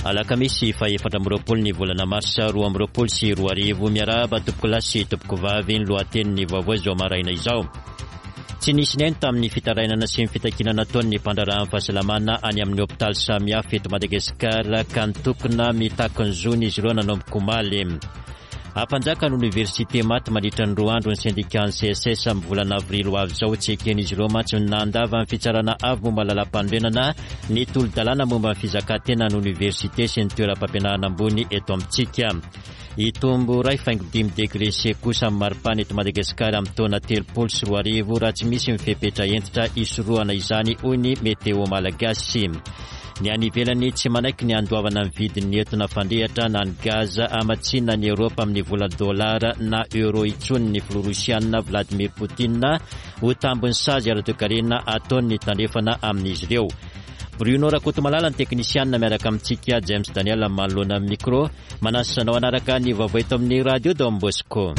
Alakamisy faha-24 ny volana marsa 2022. Miarahaba tompokolahy sy tompokovavy ny lohatenin'ny vaovao izao maraina izao. Tsy nisy nihaino tamin'ny fitarainana sy ny fitakiana nataon'ny mpandraharahan'ny fahasalamana any amin'ny hopitaly samihafa eto Madagasikara ka nitokona mitaky ny zony izy ireo nanomboka omaly. Hampanjaka ny oniversite maty mandritra ny roa andro ny sendikan'ny CSS amin'ny volana avrily ho avy izao. Tsy eken'izy ireo mantsy ny nandava ny fitsarana avo momba ny lalàmpanorenana ny tolo-dalàna momba ny fizakan-tenan'ny oniversite sy ny toeram-pampianarana ambony eto amintsika. Hitombo 1.5 degre C kosa ny maripana eto Madagasikara amin'ny taona 2030 raha tsy misy ny fepetra hentitra hisorohana izany hoy ny Météo Malagasy. Ny any ivelany tsy manaiky ny handoavana ny vidin'ny etona fandrehitra na ny gaz hamatsiana an'i Eoropa amin'ny vola dolara na euro intsony ny filoha rosiana Vladimir Poutine ho tambin'ny sazy ara-toekarena ataon'ny tandrefana amin'izy ireo. Bruno Rakotomalala ny teknisianina miaraka amintsika James Daniel manoloana ny micro. Manasa anao hanaraka ny vaovao eto amin'ny Radio Don Bosco.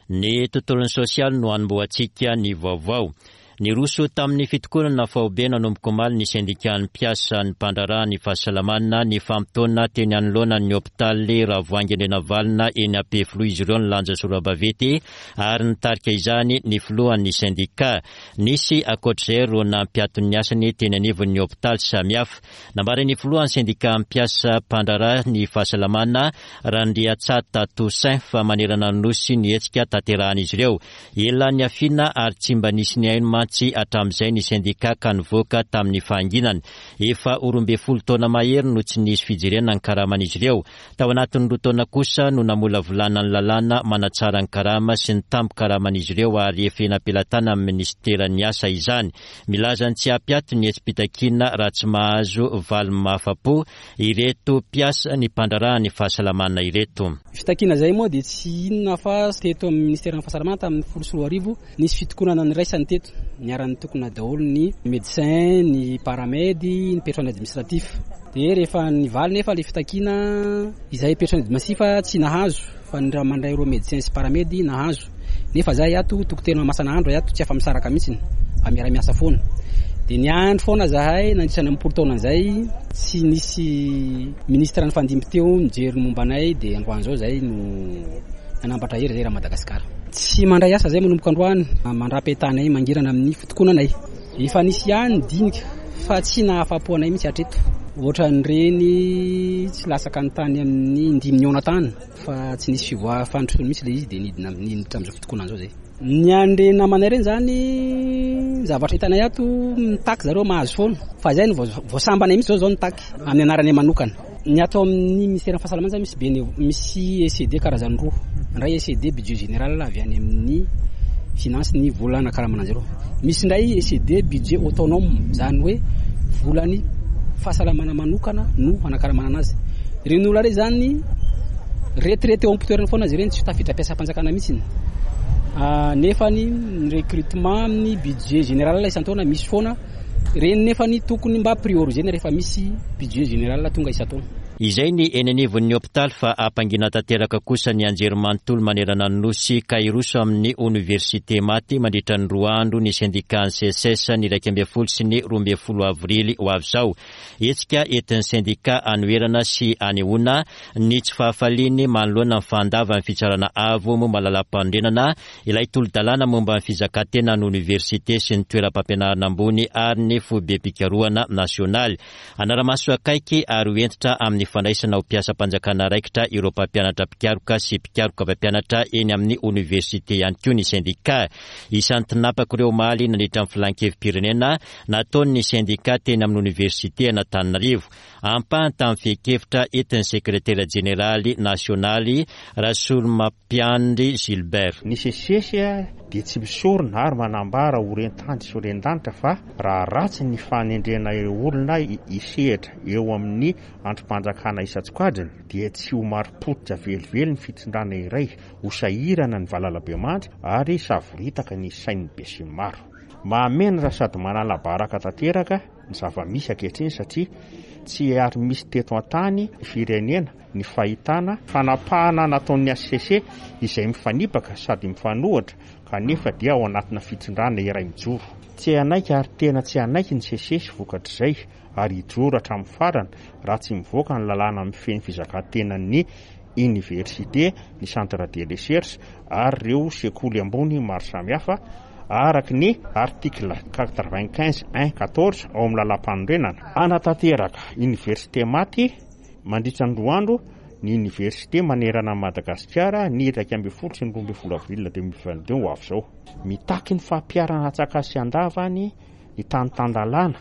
Ny tontolon'ny sosialy no hanombohantsika ny vaovao. Niroso tamin'ny fitokonana faobe nanomboka omaly ny sendikan'ny mpiasa ny mpandraharaha ny fahasalamana nifamotoana teny anoloana ny hopitaly Ravoahangy Andrianavalona eny Ampefiloha izy ireo nilanja sora-baventy ary nitarika izany ny filohan'ny sendika. Nisy ankoatr'izay ireo nampiato ny asany teny anivon'ny hopitaly samihafa. Nambaran'ny filohan'ny sendika mpiasa mpandraharaha ny fahasalamana Randriatsata Toussaint fa manerana ny Nosy ny hetsika tanterahan'izy ireo. Ela niafiana ary tsy mba nisy nihaino mantsy hatramin'izay ny sendika ka nivoaka tamin'ny fahanginany. Efa ho 12 taona mahery no tsy nisy fijerena ny karaman'izy ireo. Tao anatin'ny roa taona kosa no namolavolana ny lalàna manatsara ny karama sy ny tambin-karaman'izy ireo ary efa eny am-pelatanan'ny minisiteran'ny asa izany. Milaza ny tsy hampiato ny hetsi-pitakiana raha tsy mahazo valiny mahafa-po ireto mpiasa ny mpandraharaha ny fahasalamana ireto. Fitakiana izay moa dia tsy inona fa teto amin'ny ministeran'ny fahasalamana tamin'ny 2010 nisy fitokonana niraisany teto, niara-nitokona daholo ny médecin, ny paramed, ny personnel administratif. Dia rehefa nivaly nefa ilay fitakiana, izahay personnel administratif tsy nahazo fa ny raha mandray ireo médecin sy paramed nahazo. Nefa zahay ato dokotera mamasana andro ato tsy afa-misaraka mihitsy fa miara-miasa foana. Dia niandry foana zahay nandritra ny am-polo taona izay tsy nisy ministre nifandimby teo nijery ny momba anay dia androany izao zahay no nanambatra hery zay raha Madagasikara. Tsy mandray asa zay manomboka androany mandra-piatanay mangirana amin'ny fitokonanay. Efa nisy ihany ny dinika fa tsy nahafapo anay mihitsy hatreto. Ohatran'ireny tsy latsaka ny tany amin'ny indimy nihaona tany. Fa tsy nisy fivoaha fandrosoana mihitsy ilay izy dia nidina niditra amin'izao fitokonana izao zay. Ny an'ireny namanay ireny zany ny zavatra hitanay ato mitaky zareo mahazo foana fa izay no vao sambanay mihitsy zao zao nitaky amin'ny anaranay manokana. Ny ato amin'ny ministeran'ny fahasalamana zany misy bene misy ECD karazany roa. Ny iray ECD budget général avy any amin'ny finance ny vola anakaramana an'zareo. Misy indray ECD budget autonome izany hoe volan'ny fahasalamana manokana no anakaramana anazy. Ireny olona ireny izany retraite eo am-pitoerana foana izy ireny, tsy tafiditra mpiasam-panjakana mihitsy. Nefa ny recrutement amin'ny budget général isan-taona misy foana, ireny nefa ny tokony mba prioriser-na rehefa misy budget général tonga isan-taona. Izay ny eny anivon'ny hopitaly fa hampangina tanteraka kosa ny anjerimanontolo manerana ny Nosy ka hiroso amin'ny oniversite maty mandritra ny roa andro ny sendikan'ny Seces ny 11 sy ny 12 avrily ho avy izao. Hetsika entin'ny sendika hanoherana sy hanehoana ny tsy fahafaliany manoloana ny fandavan'ny Fitsarana Avo momba ny Lalàmpanorenana ilay tolo-dalàna momba ny fizakan-tenan'ny oniversite sy ny toeram-pampianarana ambony ary ny foibem-pikarohana nasionaly. Hanara-maso akaiky ary ho hentitra amin'ny fandraisana ho mpiasam-panjakana raikitra ireo mpampianatra mpikaroka sy mpikaroka mpampianatra eny amin'ny oniversite ihany koa ny sendika. Isan'ny tinapaka ireo omaly nandritra ny filan-kevi-pirenena nataon'ny sendika teny amin'ny oniversite an'Antananarivo. Ampahany tamin'ny fehin-kevitra entin'ny sekretera jeneraly nasionaly Rasolomampiandry Gilbert. Ny Seces dia tsy misorona ary manambara ho ren-tany sy ho ren-danitra fa raha ratsy ny fanendrena ireo olona hisehatra eo amin'ny andrim-panjakana isan-tsokajiny dia tsy ho marim-pototra velively ny fitondrana iray, ho sahirana ny valalabemandry ary savoritaka ny sain'ny besinimaro. Mahamenatra sady manala baraka tanteraka ny zava-misy ankehitriny satria tsy ary misy teto an-tany firenena ny fahitana fanapahana nataon'ny hcc izay mifanipaka sady mifanohitra kanefa dia ao anatina fitondrana iray mijoro. Tsy hanaiky ary tena tsy hanaiky ny Seces vokatr'izay. ary hijoro hatramin'ny farany raha tsy mivoaka ny lalàna mifehy ny fizakan-tenan'ny oniversite, ny centre de recherche ary ireo sekoly ambony maro samihafa araka ny article 95 1 14 ao amin'ny lalàmpanorenana. Hanatanteraka oniversite maty mandritra ny roa andro ny oniversite manerana an'i Madagasikara ny 11 sy ny 12 avril 2022 ho avy izao. Mitaky ny fampiharana antsakany sy andavany ny tany tan-dalàna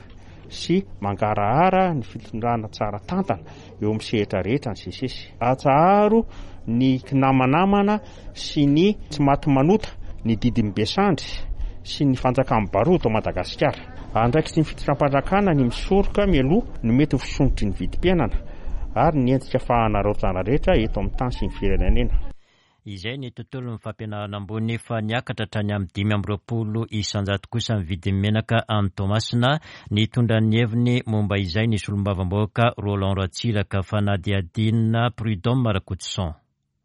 sy mangarahara ny fitondrana tsara tantana eo amin'ny sehatra rehetra ny SECES. Atsaharo ny kinamanamana sy ny tsy maty manota, ny didin'ny be sandry sy ny fanjakan'ny baroa eto Madagasikara. Andraikitry ny fitondram-panjakana ny misoroka mialoha ny mety ho fisondrotry ny vidim-piainana ary ny endrika fahanaraotana rehetra eto amin'ny tany sy ny firenena. Izay ny tontolon'ny fampianarana ambony fa niakatra hatrany amin'ny 25% kosa ny vidin'ny menaka any Toamasina. Nitondra ny heviny momba izay ny solombavambahoaka Roland Ratsiraka, fanadihadiana Prud'homme Rakotoson.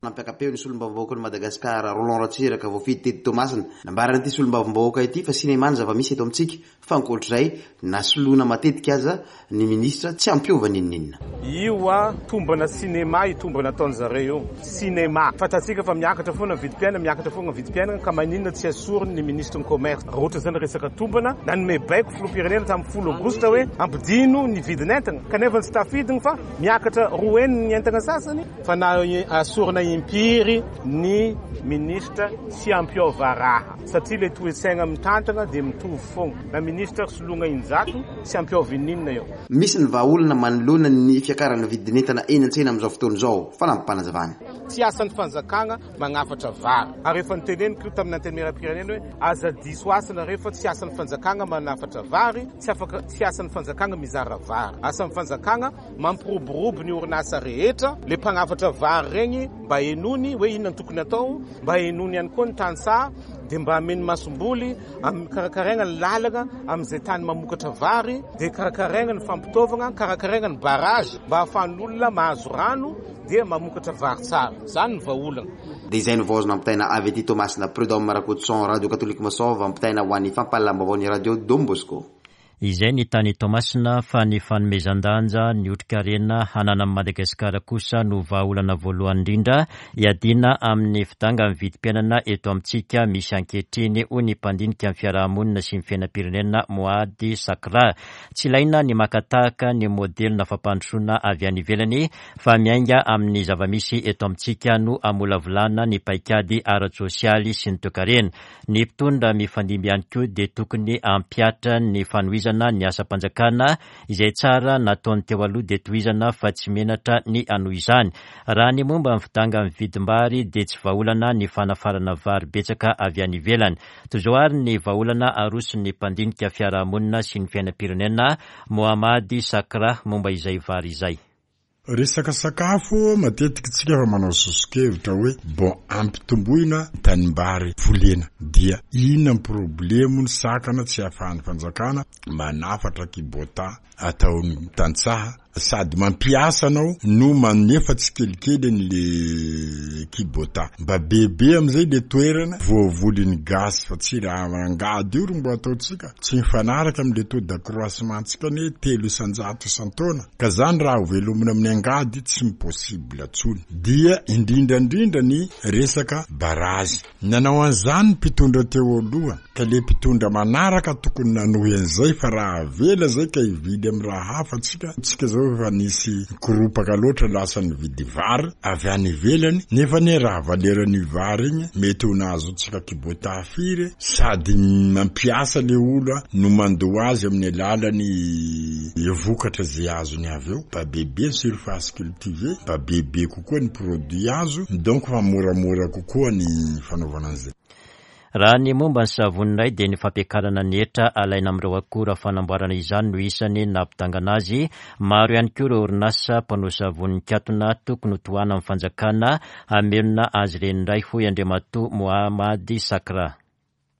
Nampiaka-peo ny solombavambahoakan'i Madagasikara, Roland Ratsiraka, voafidy teto Toamasina. Nambaran'ity solombavambahoaka ity fa sinema ny zava-misy eto amintsika Fa ankoatr'izay, na soloina matetika aza ny ministra tsy hampiova n'inon'inona. Io a tombana cinéma io tombana ataon'zareo io. Cinéma. Fantatsika fa miakatra foana ny vidim-piainana, miakatra foana ny vidim-piainana ka maninona tsy asoriny ny ministre ny commerce. Raha ohatra zany resaka tombana, nanome baiko filoham-pirenena tamin'ny folo aogositra hoe ampidino ny vidin'entana kanefa tsy tafidiny fa miakatra roa heny ny entana sasany. Fa na asorina impiry ny ministra tsy hampiova raha. Satria le toe-tsaigna mitantagna dia mitovy fogna. Na ministra ary soloagna injato tsy hampiova ininona eo. Misy ny vahaolana manoloana ny fiakaran'ny vidin'entana eny an-tsena amin'izao fotoana izao, fanampim-panazavana. Tsy asan'ny fanjakagna magnafatra vary. Ary efa noteneniko io tamin'ny Antenimierampirenena hoe aza diso asa nareo fa tsy asan'ny fanjakagna manafatra vary, tsy afaka, tsy asan'ny fanjakagna mizara vary. Asan'ny fanjakagna mampiroborobo ny orinasa rehetra, le mpagnafatra vary regny mba henoiny hoe inona no tokony atao, Mba henoiny ihany koa ny tantsaha dia mba ameny masomboly amin'ny karakaraina ny lalana amin'izay tany mamokatra vary dia karakaraina ny fampitaovagna, karakaraina ny barrage mba ahafahan'olona mahazo rano dia mamokatra vary tsara. Izany ny vahaolana. Dia izay no vaozo nampitaina avy aty Toamasina, Prud'homme Rakotoson, Radio Katolika Masôva, ampitaina ho an'ny fampahalalam-baovaon'ny Radio Don Bosco. Izay ny tany Toamasina fa ny fanomezan-danja ny otrikarena hananan'i Madagasikara kosa no vahaolana voalohany indrindra hiadiana amin'ny fidangan'ny vidim-piainana eto amintsika misy ankehitriny, hoy ny mpandinika ny fiaraha-monina sy ny fiainam-pirenena Moady Sakra. Tsy ilaina ny maka tahaka ny modelina fampandrosoana avy any ivelany fa miainga amin'ny zava-misy eto amintsika no hamolavolana ny paikady ara-tsosialy sy ny toekarena. Ny mpitondra mifandimby ihany koa dia tokony hampihatra ny fanohizana ny asam-panjakana izay tsara nataony teo aloha dia tohizana fa tsy menatra ny hanohy izany. Raha ny momba ny fidangan'ny vidim-bary dia tsy vahaolana ny fanafarana vary betsaka avy any ivelany. Toy izao ary ny vahaolana aroson'ny mpandinika fiarahamonina sy ny fiainam-pirenena Mohamady Sakra momba izay vary izay. Resaka sakafo, matetika tsika efa manao soso-kevitra hoe bon ampitomboina ny tanimbary volena dia inona ny problemo ny sakana tsy ahafahan'ny fanjakana manafatra kibota ataon'ny tantsaha sady mampiasa anao no manefa tsikelikely an'le kibota mba bebe amizay le toerana voavolin'ny gasy fa tsy raha angady io ro mbo ataontsika tsy mifanaraka amle taux d'accroissement tsika anie 3% isan-taona Ka zany raha ho velomina amin'ny angady tsy mi-possible tsony. Dia indrindra indrindra ny resaka barazy. Nanao an'izany ny mpitondra teo aloha ka le mpitondra manaraka tokony nanohy an'izay fa raha avela zay ka hivily amin'ny raha hafa tsika, tsika zao efa nisy nikoropaka loatra lasa nividy vary avy any ivelany nefa anie raha valeran'io vary igny mety ho nahazoantsika kibota firy sady mampiasa le olo no mandoa azy amin'ny alalan'ny vokatra izay azony avy eo, mba bebe ny surface cultivée, mba bebe kokoa ny produit azo, donc fa moramora kokoa ny fanaovana an'izay. Raha ny momba ny savony indray dia ny fampiakarana ny hetra alaina amin'ireo akora fanamboarana izany no isany nampidangana azy. Maro ihany koa ireo orinasa mpanao savony nikatona tokony ho tohanan'ny fanjakana hamelona azy ireny indray hoy Andriamatoa Mohamady Sakra.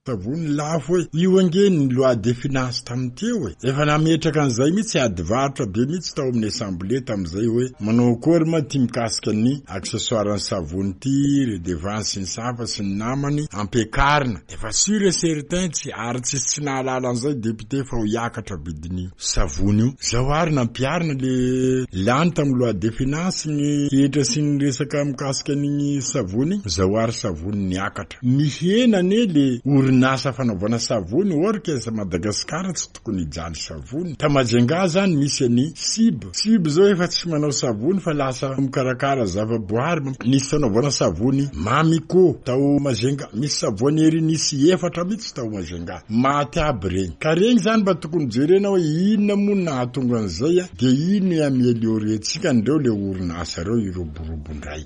Savony lafo e! Io ange ny loi de finance tamin'ny teo e! Efa nametraka an'izay mihitsy ady varotra be mihitsy tao amin'ny assemblée tamin'izay hoe manao akory ma ty mikasika ny accessoire ny savony ty, redevance sy ny safa sy ny namany ampiakarina. Efa sur et certain tsy ary tsisy tsy nahalala an'izay député fa ho hiakatra vidin'io savony io. Zao ary nampiharina le lany tamin'ny loi de finance ny hetra sy ny resaka mikasika an'igny savony igny, zao ary savony niakatra. Mihena anie le orinasa fanaovana savony or que Madagascar tsy tokony hijaly savony. Ta Majunga zany misy an'i Sib. Sib zao efa tsy manao savony fa lasa mikarakara zava-boary. Nisy fanaovana savony Mamiko tao Majunga. Misy savony ery nisy efatra mihitsy tao Majunga. Maty aby regny. Ka regny zany mba tokony jerena hoe inona moa no nahatonga an'izay dia ino hi-ameliorer-tsika an'ireo le orinasa reo hiroborobo ndray.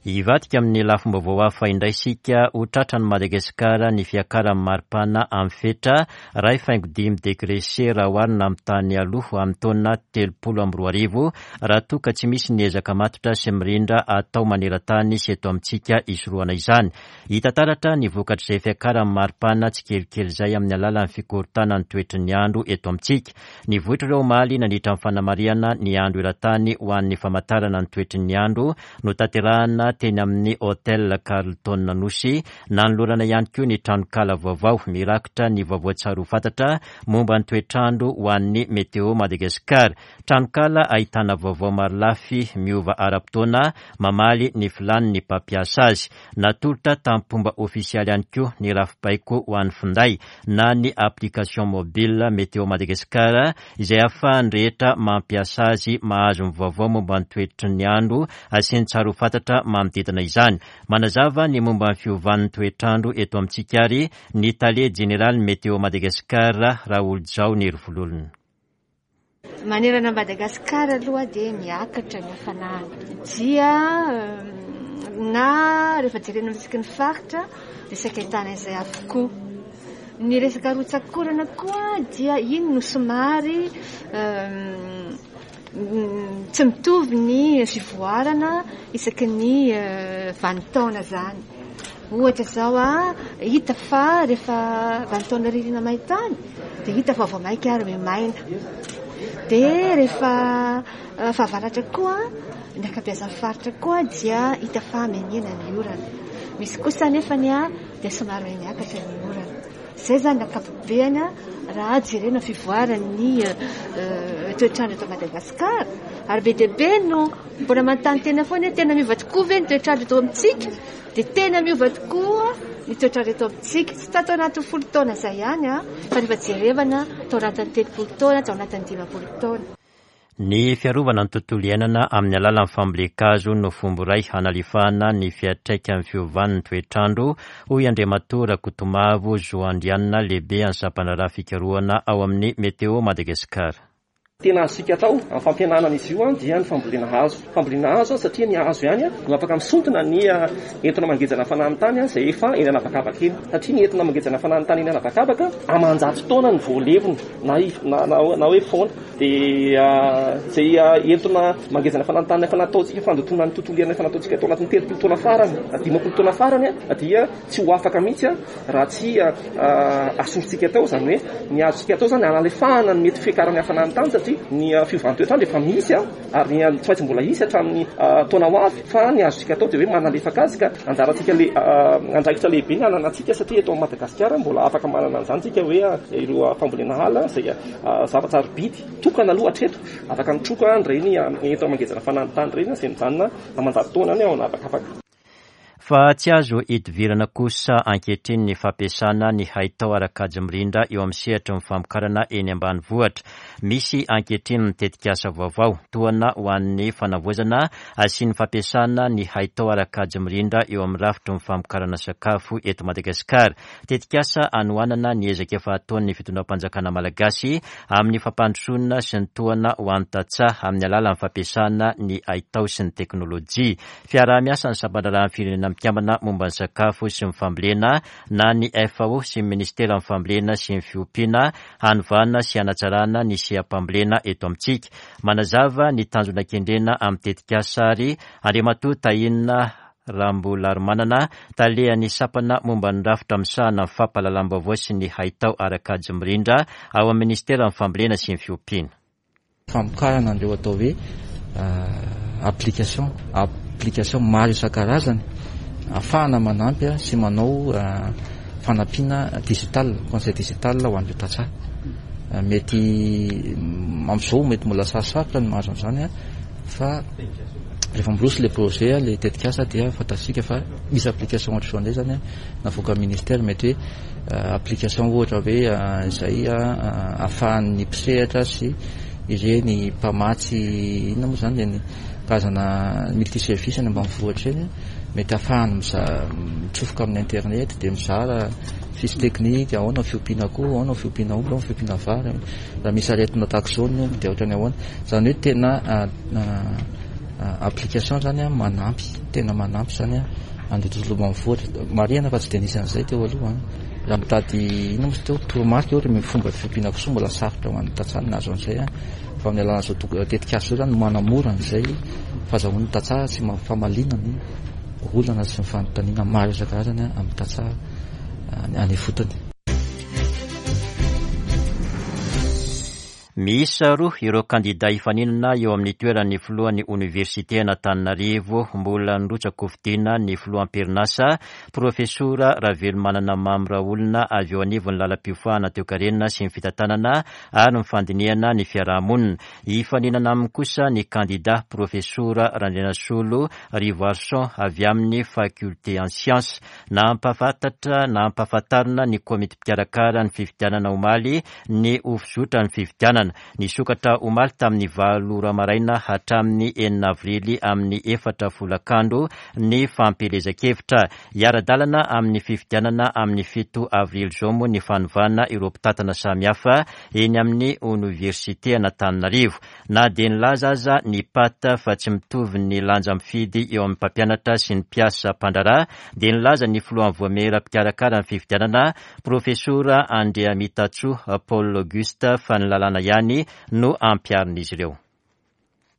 Hivadika amin'ny lafim-baovao hafa indray isika, ho tratran'i Madagasikara ny fiakaran'ny maripana amin'ny fetra 1.5 degré C raha oharina amin'ny tany aloha amin'ny taona 2030 raha toa ka tsy misy ny ezaka matotra sy mirindra atao maneran-tany sy eto amintsika hisorohana izany. Hita taratra ny vokatr'izay fiakaran'ny maripana tsikelikely izay amin'ny alalan'ny fikorontanan'ny toetry ny andro eto amintsika. Nivoitra ireo omaly nandritra ny fanamarihana ny andro eran-tany ho an'ny famantarana ny toetry ny andro notanterahana teny amin'ny Hotel Carlton Anosy. Nanolorana ihany koa ny tranonkala vaovao mirakitra ny vaovao tsara ho fantatra momba ny toetr'andro ho an'ny Météo Madagascar. Tranonkala ahitana vaovao marolafy miova ara-potoana mamaly ny filàn'ny mpampiasa azy. Natolotra tamim-pomba ofisialy ihany koa ny rafi-baiko ho an'ny finday na ny application mobile Météo Madagascar izay ahafahan'ny rehetra mampiasa azy mahazo ny vaovao momba ny toetry ny andro sy ny tsara ho fantatra manodidina izany. Manazava ny momba ny fiovan'ny toetr'andro eto amintsika ary ny tale jeneralin'ny Météo Madagascar, Raholijao Nerivololona. Manerana an'i Madagasikara aloha dia miakatra ny hafanana. Dia na rehefa jerena isaky ny faritra dia saika ahitana izay avokoa. Ny resaka rotsak'orana koa dia iny no somary tsy mitovy ny fivoarana isaky ny vanin-taona izany. Ohatra izao a, hita fa rehefa vanin-taona ririna maintany dia hita fa vao mainka ary miha-maina. Dia rehefa fahavaratra koa, ny ankabeazan'ny faritra koa dia hita fa miha-mihena ny orana. Misy kosa anefa ny dia somary miha-miakatra ny orana. Izay izany ny ankapobeany raha jerena fivoaran'ny toetr'andro eto Madagasikara. Ary be dia be no mbola manontany tena foana hoe tena miova tokoa ve ny toetr'andro eto amintsika? Dia tena miova tokoa ny toetr'andro eto amintsika. Tsy tato anatin'ny 10 taona izay ihany fa rehefa jerevana tao anatin'ny 30 taona, tao anatin'ny 50 taona. Ny fiarovana ny tontolo iainana amin'ny alalan'ny fambolen-kazo no fomba iray hanalefahana ny fiantraikan'ny fiovan'ny toetr'andro, hoy Andriamatoa Rakotomavo Zo Andrianina, lehibe an'ny sampandraharaha fikarohana ao amin'ny Météo Madagascar. Tena azontsika atao amin'ny fampihenana an'izy io dia ny fambolena hazo. Fambolena hazo satria ny hazo ihany no afaka misintona ny entona mangejana hafanan'ny tany izay efa eny an'habakabaka eny. Satria ny entona mangejana hafanan'ny tany eny an'habakabaka aman-jato taona no vao levona na na hoe foana. Dia izay entona mangejana hafanan'ny tany efa nataontsika fandotoana ny tontolo iainana efa nataontsika tao anatin'ny 30 taona farany na 50 taona farany dia tsy ho afaka mihitsy raha tsy asorintsika atao, izany hoe ny azontsika atao izany hanalefahana ny mety fiakaran'ny hafanan'ny tany satria ny fiovan'ny toetr'andro efa misy ary ny tsy maintsy mbola hisy hatramin'ny taona ho avy fa ny azontsika atao dia hoe manalefaka azy ka anjarantsika le andraikitra lehibe ny ananantsika satria eto Madagasikara mbola afaka manana an'izany tsika hoe ireo fambolena ala izay zava-tsarobidy tokana aloha hatreto afaka mitroka an'ireny entona mangejana hafanan'ny tany ireny izay mijanona aman-jato taona any ao an'habakabaka. Fa tsy azo idivirana kosa ankehitriny ny fampiasana ny haitao ara-kajy mirindra eo amin'ny sehatry ny famokarana eny ambanivohitra. Misy ankehitriny ny tetikasa vaovao, tohana ho an'ny fanavaozana sy ny fampiasana ny haitao ara-kajy mirindra eo amin'ny rafitry ny famokarana sakafo eto Madagasikara. Tetikasa hanohanana ny ezaka efa ataon'ny fitondram-panjakana malagasy amin'ny fampandrosoana sy ny tohana ho an'ny tantsaha amin'ny alalan'ny fampiasana ny haitao sy ny teknolojia. Fiaraha-miasan'ny sampandraharahan'ny Firenena. Mikambana momba ny sakafo sy ny fambolena na ny FAO sy ny Ministeran'ny fambolena sy ny fiompiana hanovana sy hanatsarana ny seha-pambolena eto amintsika. Manazava ny tanjona kendrena amin'ny tetikasa ary Andriamatoa Tahina Rambolarimanana, talehan'ny sampana momba ny rafitra misahana ny fampahalalam-baovao sy ny haitao ara-kajy mirindra ao amin'ny Ministeran'ny fambolena sy ny fiompiana. Famokarana an'ireo atao hoe application, application maro isan-karazany ahafahana manampy sy manao fanampiana digital, conseil digital ho an'ireo tantsaha. Mety amin'izao mety mbola sarosarotra ny mahazo an'izany fa rehefa miroso le projet, le tetikasa dia fantatsika fa misy application ohatr'izao indray zany navoakan'ny ministère mety hoe Application ohatra hoe izay ahafahan'ny mpisehatra sy ireny mpamatsy inona moa izany ireny karazana multi service any ambanivohitra ireny mety ahafahany mitsofoka amin'ny internet dia mizara fiche technique ahoana ny fiompiana akoho, ahoana ny fiompiana omby, ahoana ny fiompiana vary, raha misy aretina tahaka izao ny omby dia ohatran'ny ahoana. Izany hoe tena application izany manampy, tena manampy izany. Andeha tontolo ambanivohitra. Marihana fa tsy dia nisy an'izay teo aloha an. Raha mitady inona moa izy teo, toromarika ohatra ny fomba fiompiana kisoa mbola sarotra ho an'ny tantsaha ny nahazo an'izay an. Fa amin'ny alalan'izao tetikasa izao izany manamora an'izay fahazahoan'ny tantsaha sy famaliana ny olana sy ny fanontaniana maro isan-karazany amin'ny tantsaha any ifotony. Miisa roa ireo kandidà hifaninana eo amin'ny toeran'ny filohan'ny oniversiten'Antananarivo. Mbola nirotsak'hofidiana ny filoha am-perinasa, Profesora Ravelomanana Mamy Raolona avy eo anivon'ny lalam-piofanana toekarena sy ny fitantanana ary ny fandinihana ny fiaraha-monina. Hifaninana aminy kosa ny kandidà Profesora Randrianasolo Rivoarison avy amin'ny Faculté en sciences. Nampahafantatra nampahafantarina ny komity mpikarakara ny fifidianana omaly ny ho fizotran'ny fifidianana. Nisokatra omaly tamin'ny valo ora maraina hatramin'ny enina avrily amin'ny efatra folakandro ny fampielezan-kevitra. Hiara-dalana amin'ny fifidianana amin'ny fito avrily izao moa ny fanovana ireo mpitantana samihafa eny amin'ny oniversiten'Antananarivo. Na dia nilaza aza ny Pat fa tsy mitovy ny lanja mifidy eo amin'ny mpampianatra sy ny mpiasa mpandraharaha dia nilaza ny filohan'ny voamiera mpikarakara ny fifidianana, Profesora Andriamitatsoa Paul Auguste fa ny lalàna ihany no ampiharin'izy ireo.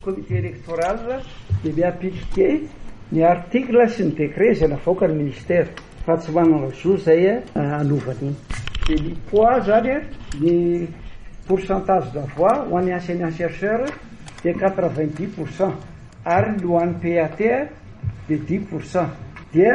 Comité électoral dia mi-appliquer ny article sy ny décret izay navoakan'ny ministère fa tsy manana zo izay hanova an'iny. Dia ny poids zany ny pourcentage de voix ho an'ny enseignant chercheur dia 90% ary ny ho an'ny PAT dia 10% dia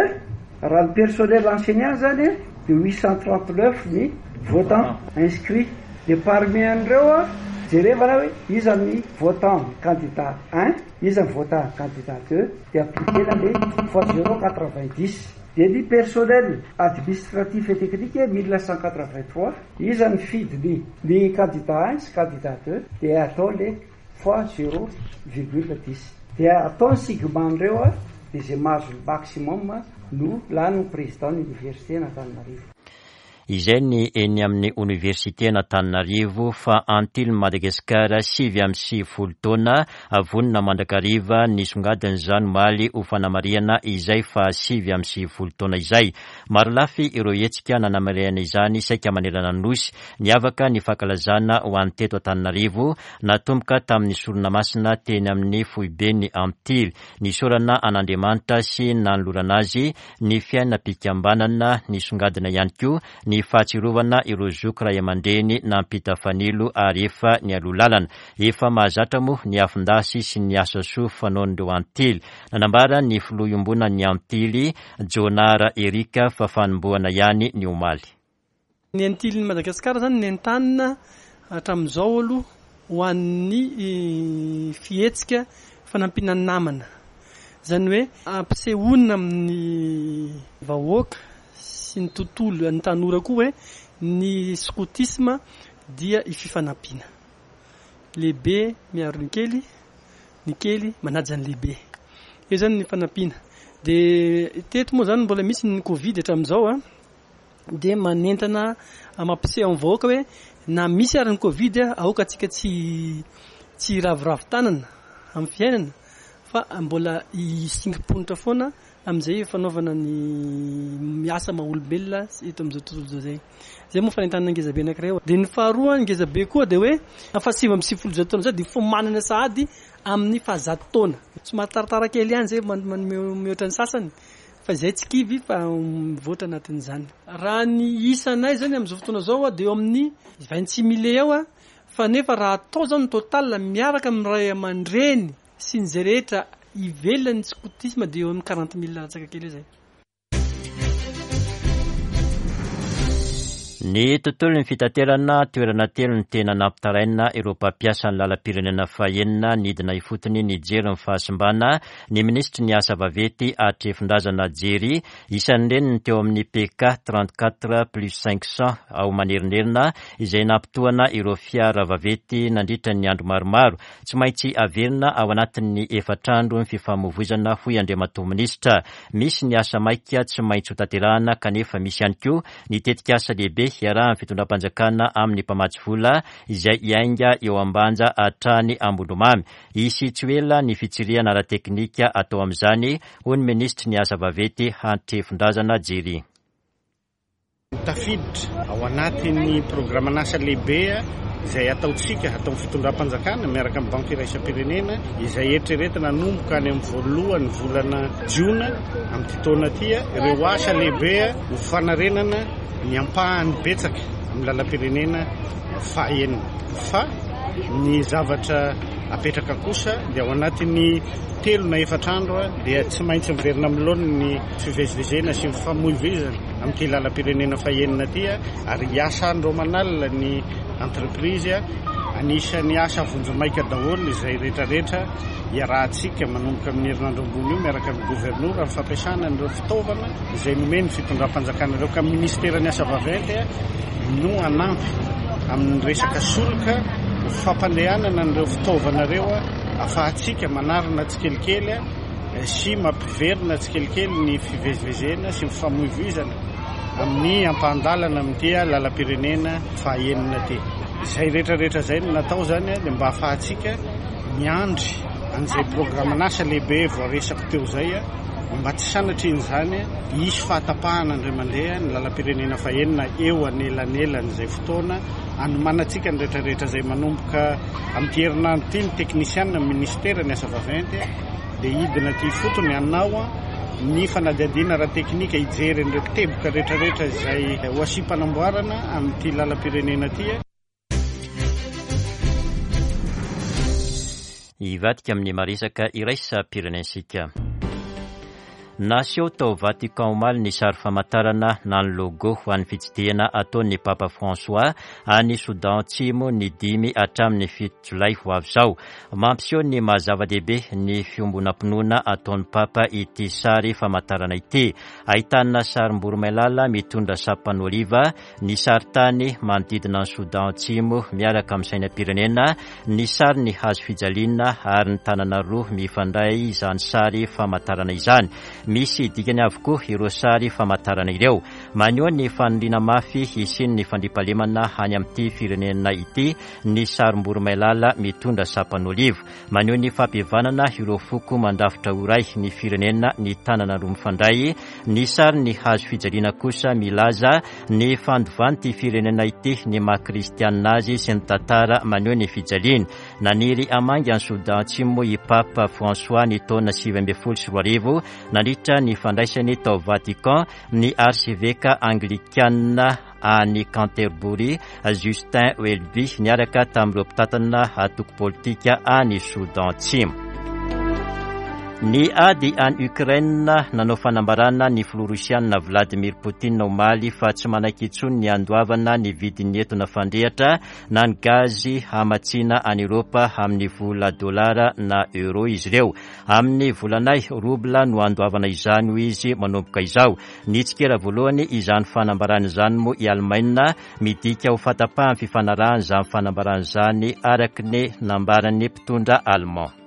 Raha ny personnel enseignant zany dia 839 ny votant inscrit dia parmi an'ireo jerevana hoe iza ny votant ny candidat un, iza ny votant candidat deux dia appliquer-na le fois zéro 90 dia ny personnel administratif et technique 1183 iza ny fidy ny candidat un sy candidat deux dia atao le fois zéro virgule dix dia atao ny sigma an'ireo a dia izay mahazo ny maximum no lany ho président ny université an'Antananarivo. Izay ny eny amin'ny oniversiten'Antananarivo fa Antilles Madagascar 99 taona vonona mandrakariva nisongadina izany omaly ho fanamarihana izay faha 99 taona izay. Marolafy ireo hetsika nanamarihana izany saika manerana ny Nosy. Niavaka ny fankalazana ho an'ny teto Antananarivo, natomboka tamin'ny sorona masina teny amin'ny foiben'ny Antily. Nisaorana an'Andriamanitra sy nanolorana azy ny fiainam-pikambanana, nisongadina ihany koa ny fahatsiarovana ireo zoky ray aman-dreny nampita fanilo ary efa nialoha lalana. Efa mahazatra moa ny afon-dasy sy ny asa soa fanaon'ireo Antily. Nanambara ny filoha iombonan'ny Antily, Jonara Eric fa fanombohana ihany ny omaly. Ny Antilin'i Madagasikara izany nentanina hatramin'izao aloha ho an'ny fihetsika fanampiana ny namana. Izany hoe ampisehoana amin'ny vahoaka sy ny tontolo, ny tanora koa hoe ny skotisma dia fifanampiana. Lehibe miaro ny kely, ny kely manaja ny lehibe. Eo izany ny fanampiana. Dia teto moa izany mbola misy ny covid hatramin'izao an, dia manentana mampiseho amin'ny vahoaka hoe na misy ary ny covid aoka antsika tsy tsy hiraviravy tanana amin'ny fiainana fa mbola hisingi-ponitra foana. amin'izay fanaovana ny asa maha olombelona eto amin'izao tontolo izao izay. Izay moa fanentanana ngezabe anankiray. Dia ny faharoa ngezabe koa dia hoe faha 199 taona izay dia fiomanana sahady amin'ny fahazato taona. Somary taratara kely ihany izay mihoatra ny sasany fa izay tsy kivy fa mivoatra anatin'izany. Raha ny isanay izany amin'izao fotoana izao dia eo amin'ny 26 mille eo fa nefa raha atao izany ny total miaraka amin'ny ray aman-dreny sy ny izay rehetra ivelan'ny skotisma dia eo amin'ny 40 mille latsaka kely eo izay. Ny tontolon'ny fitaterana, toerana telo no tena nampitaraina ireo mpampiasa ny lalam-pirenena fahenina nidina ifotony nijery ny fahasimbana ny minisitry ny asa vaventy Hatrefindrazana Jerry, isan'ireny ny teo amin'ny PK 34 plus 500 ao Manerinerina izay nampitohana ireo fiara vaventy nandritra ny andro maromaro. Tsy maintsy averina ao anatin'ny efatra andro ny fifamoivoizana hoy Andriamatoa Minisitra. Misy ny asa maika tsy maintsy hotanterahana kanefa misy ihany koa ny tetikasa lehibe iarahan'ny fitondram-panjakana amin'ny mpamatsy vola izay hiainga eo Ambanja hatrany Ambondromamy. Hisy tsy ho ela ny fitsirihana ara-teknika atao amin'izany, hoy ny minisitry ny asa vaventy Hantrefindrazana Jerry. Tafiditra ao anatin'ny programan'asa lehibe izay ataontsika, ataon'ny fitondram-panjakana miaraka amin'ny Banky iraisam-pirenena, izay eritreretina hanomboka any amin'ny voalohan'ny volana jiona amin'ity taona ity, ireo asa lehibe ho fanarenana ny ampahany betsaka amin'ny lalam-pirenena fahaenina. Fa ny zavatra apetraka kosa dia ao anatin'ny telo na efatra andro dia tsy maintsy miverina amin'ny laoniny ny fivezivezena sy ny famoivoizana. amin'ity lalam-pirenena fahenina ity ary hiasa andro aman'alina ny entreprise. Anisan'ny asa vonjimaika daholo izay rehetrarehetra iarahantsika manomboka amin'ny herinandro ambony io miaraka amin'ny governora amin'ny fampiasana an'ireo fitaovana izay nomen'ny fitondram-panjakana ireo ka ministeran'ny asa vaventy no hanampy amin'ny resaka solika ho fampandehanana an'ireo fitaovana ireo ahafahantsika manarina tsikelikely sy mampiverina tsikelikely ny fivezivezena sy ny fifamoivoizana amin'ny ampahan-dalana amin'ity lalam-pirenena fahaenina ity. Izay rehetra rehetra izay no natao izany dia mba ahafahantsika miandry an'izay programan'asa lehibe voaresako teo izay mba tsy sanatrian'izany hisy fahatapahana indray mandeha ny lalam-pirenena fahenina eo anelanelan'izay fotoana anomanantsika ny rehetra rehetra izay manomboka amin'ity herinandro ity ny teknisianina amin'ny minisitera ny asa vaventy dia hidina aty ifotony hanao ny fanadihadiana ara-teknika hijery an'ireo teboka rehetrarehetra izay ho asiam-panamboarana amin'ity lalam-pirenena ity. Hivadika amin'ny maresaka iraisam-pirenentsika. Naseho tao Vatican omaly ny sary famantarana na ny logo ho an'ny fitsidihana ataon'ny Papa François any Soudan Atsimo ny 5 hatramin'ny 7 jolay ho avy izao. Mampiseho ny maha zava-dehibe ny fiombonam-pinoana ataon'ny Papa ity sary famantarana ity. Ahitana sarim-boromailala mitondra sampan'oliva, ny sarintany manodidina an'i Soudan Atsimo miaraka amin'ny sainam-pirenena, ny sarin'ny hazo fijaliana ary ny tanana roa mifandray izany sary famantarana izany. Misy dikany avokoa ireo sary famantarana ireo. Maneho ny faniriana mafy hisian'ny fandriampahalemana any amin'ity firenena ity ny sarim-boromailala mitondra sampan'oliva. Maneho ny fampihavanana ireo foko mandrafitra ho iray ny firenena ny tanana roa mifandray. Ny sarin'ny hazo fijaliana kosa milaza ny fandovan'ity firenena ity ny maha kristianina azy sy ny tantara maneho ny fijaliany. Naniry hamangy an'i Soudan Atsimo moa i Papa François ny taona 2019 nandritra ny fandraisany tao Vatican ny arseveka anglikana any Canterbury, Justin Welby, niaraka tamin'ireo mpitantana antoko politika any Soudan Atsimo. Ny ady any Ukraine, nanao fanambarana ny filoha rosiana Vladimir Poutine omaly fa tsy manaiky intsony ny handoavana ny vidin'ny etona fandrehitra na ny gazy hamatsiana any Eoropa amin'ny vola dolara na euro izy ireo. Amin'ny volanay, roubla no handoavana izany hoy izy manomboka izao. Nitsikera voalohany izany fanambarana izany moa i Alemaina, midika ho fahatapahan'ny fifanarahana izany fanambarana izany araka ny nambaran'ny mpitondra Allemand.